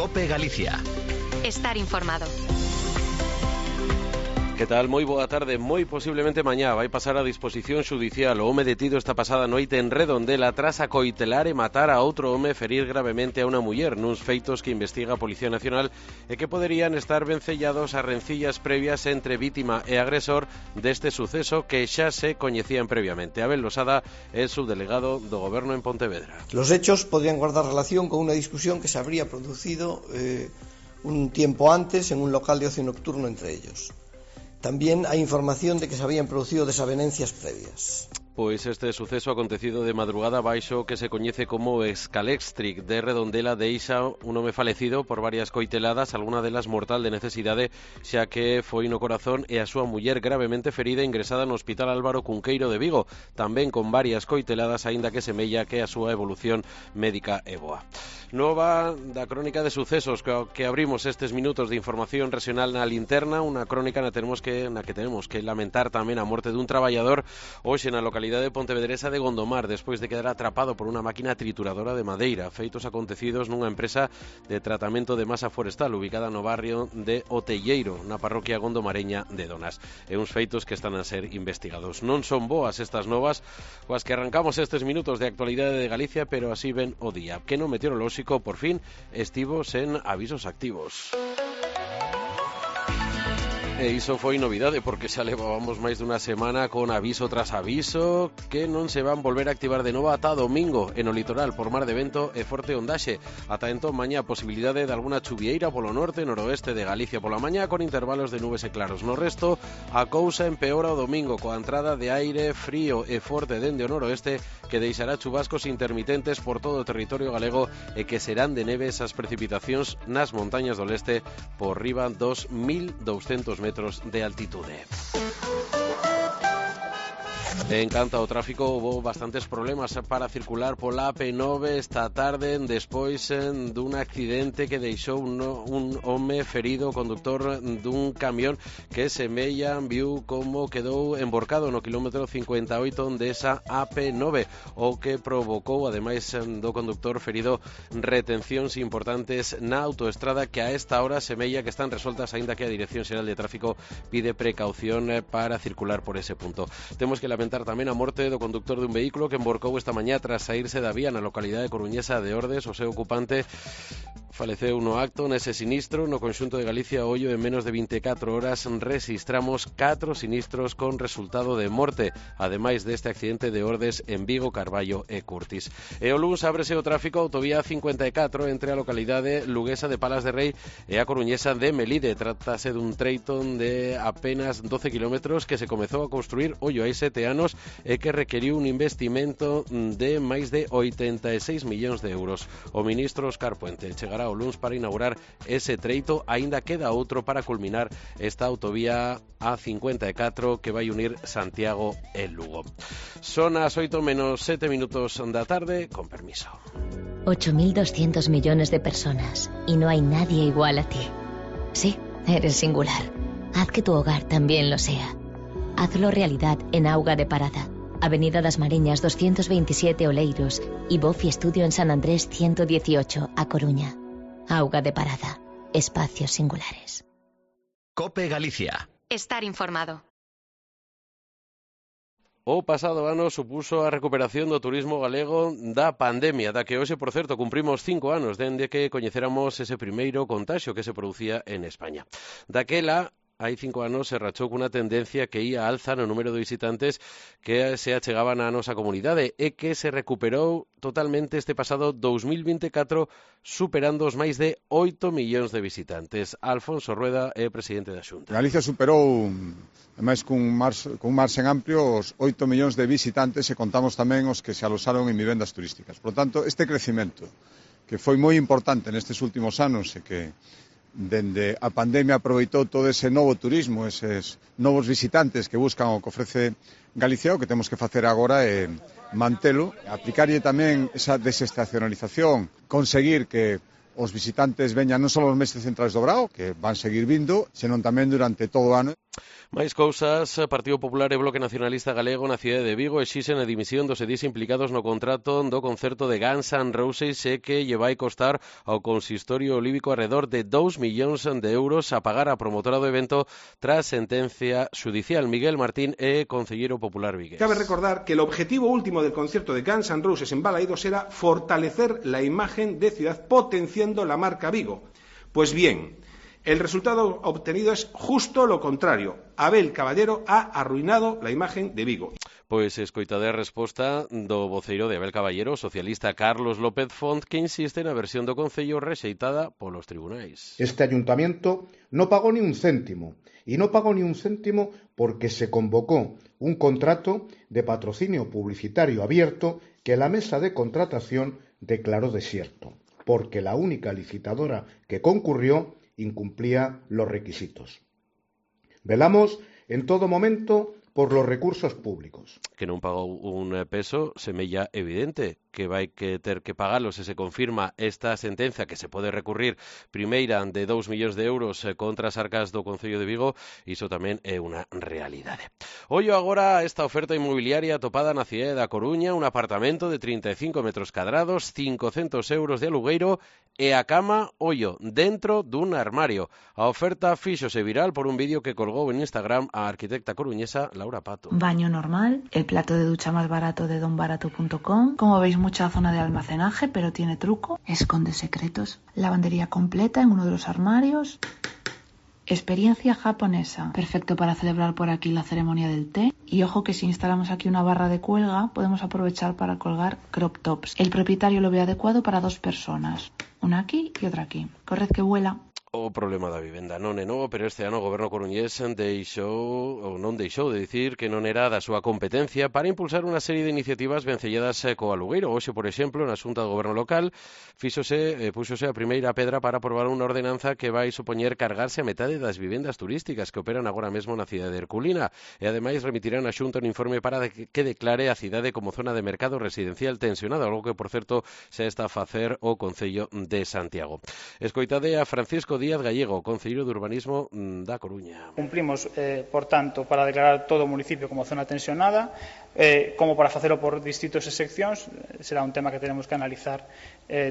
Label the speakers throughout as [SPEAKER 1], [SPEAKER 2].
[SPEAKER 1] COPE Galicia.
[SPEAKER 2] Estar informado.
[SPEAKER 3] Que tal? Moi boa tarde. Moi posiblemente mañá vai pasar a disposición xudicial o home detido esta pasada noite en Redondela tras acoitelar e matar a outro home e ferir gravemente a unha muller nuns feitos que investiga a Policía Nacional e que poderían estar vencellados a rencillas previas entre vítima e agresor deste suceso que xa se coñecían previamente. Abel Losada é subdelegado do Goberno en Pontevedra.
[SPEAKER 4] Los hechos podrían guardar relación con unha discusión que se habría producido un tiempo antes en un local de ocio nocturno entre ellos. También hay información de que se habían producido desavenencias previas.
[SPEAKER 3] Pois este suceso acontecido de madrugada baixo que se coñece como Escalextric de Redondela deixa un home falecido por varias coiteladas, algunha delas mortal de necesidade, xa que foi no corazón e a súa muller gravemente ferida ingresada no Hospital Álvaro Cunqueiro de Vigo, tamén con varias coiteladas, aínda que semella que a súa evolución médica é boa. Nova da crónica de sucesos que abrimos estes minutos de información regional na linterna, unha crónica na que tenemos que lamentar tamén a morte dun traballador hoxe na localidade de Pontevedresa de Gondomar, despois de quedar atrapado por unha máquina trituradora de madeira, feitos acontecidos nunha empresa de tratamento de masa forestal ubicada no barrio de Otelleiro, na parroquia gondomareña de Donas. E uns feitos que están a ser investigados. Non son boas estas novas coas que arrancamos estes minutos de actualidade de Galicia, pero así ven o día, que no meteorolóxico por fin estivo sen avisos activos. E iso foi novidade porque xa levábamos máis dunha semana con aviso tras aviso que non se van volver a activar de novo ata domingo en o litoral por mar de vento e forte ondaxe. Ata entón mañá posibilidade de alguna chuvieira polo norte e noroeste de Galicia pola mañá con intervalos de nubes e claros. No resto, a cousa empeora o domingo coa entrada de aire frío e forte dende o noroeste que deixará chubascos intermitentes por todo o territorio galego e que serán de neves as precipitacións nas montañas do leste por riba dos 1.200 metros de altitude. En canto ao tráfico, houve bastantes problemas para circular pola AP9 esta tarde despois dun accidente que deixou un home ferido, conductor dun camión que semella viu como quedou emborcado no quilómetro 58 desa AP9, o que provocou, ademais do conductor ferido, retencións importantes na autoestrada que a esta hora semella que están resoltas, aínda que a Dirección Xeral de Tráfico pide precaución para circular por ese punto. Temos que lamentar tamén a morte do conductor dun vehículo que emborcou esta mañá tras saírse da vía na localidade coruñesa de Ordes. O seu ocupante faleceu no acto nese sinistro. No conxunto de Galicia, ollo, en menos de 24 horas rexistramos 4 sinistros con resultado de morte, ademais deste accidente de Ordes en Vigo, Carballo e Curtis. E o luns ábrese o tráfico autovía 54 entre a localidade luguesa de Palas de Rei e a coruñesa de Melide. Trátase dun treito de apenas 12 kilómetros que se comezou a construir, ollo, hai 7 anos e que requeriu un investimento de máis de 86 millóns de euros. O ministro Óscar Puente chegará o luns para inaugurar ese treito, aínda queda outro para culminar esta autovía A54 que vai unir Santiago e Lugo. Son as 8 menos 7 minutos da tarde, con permiso.
[SPEAKER 5] 8.200 millones de personas y no hay nadie igual a ti. Sí, eres singular. Haz que tu hogar también lo sea. Hazlo realidad en Auga de Parada, Avenida das Mariñas 227 Oleiros y Bofi Estudio en San Andrés 118 a Coruña. Auga de Parada, espacios singulares.
[SPEAKER 1] COPE Galicia.
[SPEAKER 2] Estar informado.
[SPEAKER 3] O pasado ano supuso a recuperación do turismo galego da pandemia, da que hoxe, por certo, cumprimos 5 anos dende que coñeceramos ese primeiro contaxio que se producía en España. Daquela, hai 5 anos se rachou cunha tendencia que ia alza no número de visitantes que se achegaban á nosa comunidade e que se recuperou totalmente este pasado 2024 superando os máis de 8 millóns de visitantes. Alfonso Rueda é presidente da Xunta.
[SPEAKER 6] Galicia superou, ademais cun marxen amplio, os 8 millóns de visitantes e contamos tamén os que se alosaron en vivendas turísticas. Por lo tanto, este crecimento que foi moi importante nestes últimos anos e que dende a pandemia aproveitou todo ese novo turismo, eses novos visitantes que buscan o que ofrece Galicia. O que temos que facer agora é mantelo, aplicarlle tamén esa desestacionalización, conseguir que os visitantes veñan non só nos meses centrais do Brao, que van seguir vindo, senón tamén durante todo o ano.
[SPEAKER 3] Máis cousas, Partido Popular e Bloque Nacionalista Galego na cidade de Vigo exixen a dimisión dos edís implicados no contrato do concerto de Guns N' Roses e que lle vai costar ao consistorio olímpico alrededor de 2 millóns de euros a pagar a promotora do evento tras sentencia judicial. Miguel Martín é concelleiro popular vigués.
[SPEAKER 7] Cabe recordar que el objetivo último del concierto de Guns N' Roses en Balaídos era fortalecer la imagen de ciudad potenciando la marca Vigo. Pues bien, el resultado obtenido es justo lo contrario. Abel Caballero ha arruinado la imagen de Vigo.
[SPEAKER 3] Pois escoitade a resposta do voceiro de Abel Caballero, socialista Carlos López Font, que insiste na versión do Concello rexeitada polos tribunais.
[SPEAKER 8] Este ayuntamiento no pagó ni un céntimo, y no pagó ni un céntimo porque se convocó un contrato de patrocinio publicitario abierto que la mesa de contratación declaró desierto, porque la única licitadora que concurrió incumplía los requisitos. Velamos en todo momento por los recursos públicos.
[SPEAKER 3] Que non pagou un peso semella evidente que vai que ter que pagalos se se confirma esta sentenza que se pode recurrir primeira de 2 millóns de euros contra as arcas do Concello de Vigo. Iso tamén é unha realidade. Ollo agora a esta oferta inmobiliaria atopada na cidade da Coruña, un apartamento de 35 metros cadrados, 500 euros de alugueiro e a cama, ollo, dentro dun armario. A oferta fíxose viral por un vídeo que colgou en Instagram a arquitecta coruñesa Laura Pato.
[SPEAKER 9] Baño normal, el plato de ducha más barato de donbarato.com. Como veis, mucha zona de almacenaje, pero tiene truco. Esconde secretos. Lavandería completa en uno de los armarios. Experiencia japonesa. Perfecto para celebrar por aquí la ceremonia del té. Y ojo que si instalamos aquí una barra de cuelga, podemos aprovechar para colgar crop tops. El propietario lo ve adecuado para 2 personas. Una aquí y otra aquí. Corred que vuela.
[SPEAKER 3] O problema da vivenda non é novo, pero este ano o goberno coruñés non deixou de dicir que non era da súa competencia para impulsar unha serie de iniciativas vencelladas co alugueiro. Hoxe, por exemplo, na Xunta do Goberno Local púxose a primeira pedra para aprobar unha ordenanza que vai supoñer cargarse a metade das vivendas turísticas que operan agora mesmo na cidade de Herculina e ademais remitirán a Xunta un informe para que declare a cidade como zona de mercado residencial tensionado, algo que, por certo, xa está a facer o Concello de Santiago. Escoitade a Francisco Díaz Gallego, concelleiro de Urbanismo da Coruña.
[SPEAKER 10] Cumplimos, por tanto, para declarar todo o municipio como zona tensionada, como para facelo por distritos e seccións. Será un tema que tenemos que analizar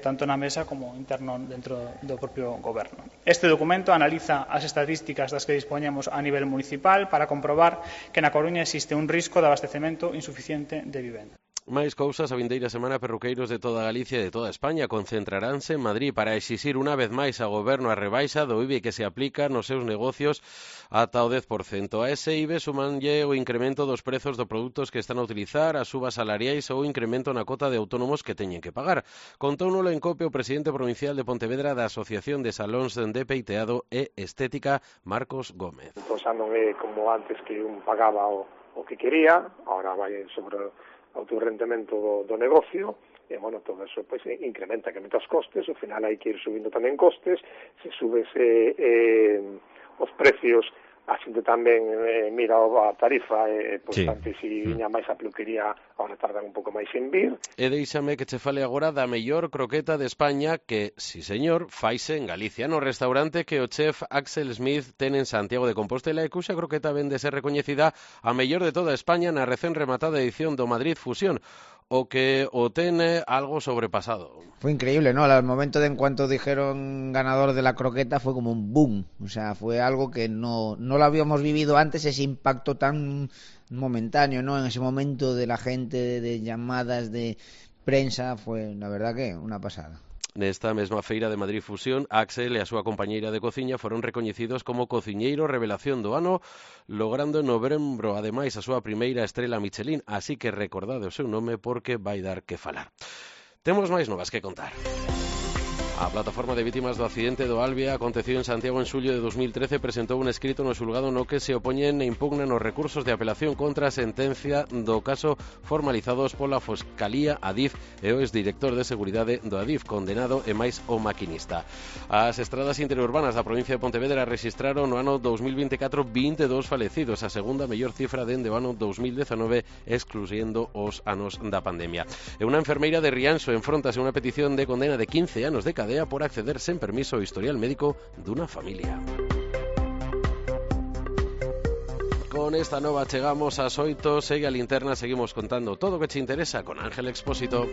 [SPEAKER 10] tanto na mesa como interno dentro do propio goberno. Este documento analiza as estatísticas das que dispoñemos a nivel municipal para comprobar que na Coruña existe un risco de abastecemento insuficiente de vivenda.
[SPEAKER 3] Máis cousas, a vindeira semana perruqueiros de toda Galicia e de toda España concentraránse en Madrid para exixir unha vez máis ao goberno a rebaixa do IBI que se aplica nos seus negocios ata o 10%. A ese IBI sumanlle o incremento dos prezos dos produtos que están a utilizar, as subas salariais ou o incremento na cota de autónomos que teñen que pagar. Contóuno en COPE o presidente provincial de Pontevedra da Asociación de Salóns de Peiteado e Estética, Marcos Gómez.
[SPEAKER 11] Entón xa non é como antes que un pagaba o que quería, agora vai sobre autorrentamento do negocio, e, bueno, todo eso pues, incrementa os costes, ao final hai que ir subindo tamén costes, se subese os precios, a xente tamén mira a tarifa, pois sí. Antes si viña máis a peluquería, agora tardan un pouco máis en vir.
[SPEAKER 3] E deixame que che fale agora da mellor croqueta de España que, si señor, faise en Galicia, no restaurante que o chef Axel Smith ten en Santiago de Compostela e cuxa croqueta vende ser recoñecida a mellor de toda España na recén rematada edición do Madrid Fusión, o que o ten algo sobrepasado.
[SPEAKER 12] Fue increíble, ¿no? Al momento de en cuanto dijeron ganador de la croqueta fue como un boom, o sea, fue algo que no lo habíamos vivido antes, ese impacto tan momentáneo, ¿no? En ese momento de la gente, de llamadas de prensa, fue la verdad que una pasada.
[SPEAKER 3] Nesta mesma feira de Madrid Fusión, Axel e a súa compañeira de cociña foron recoñecidos como cociñeiro revelación do ano, logrando en novembro, ademais, a súa primeira estrela Michelin, así que recordade o seu nome porque vai dar que falar. Temos máis novas que contar. A plataforma de vítimas do accidente do Albia acontecido en Santiago en xullo de 2013 presentou un escrito no xulgado no que se opoñen e impugnan os recursos de apelación contra a sentencia do caso formalizados pola Fiscalía, Adif e o exdirector de seguridade do Adif, condenado e máis o maquinista. As estradas interurbanas da provincia de Pontevedra rexistraron no ano 2024 22 falecidos, a segunda mellor cifra dende o ano 2019, excluyendo os anos da pandemia. E unha enfermeira de Rianxo enfrontase a unha petición de condena de 15 anos de cadea por acceder sen permiso ao historial médico dunha familia. Con esta nova chegamos ás 8, segue a linterna, seguimos contando todo o que te interesa con Ángel Expósito.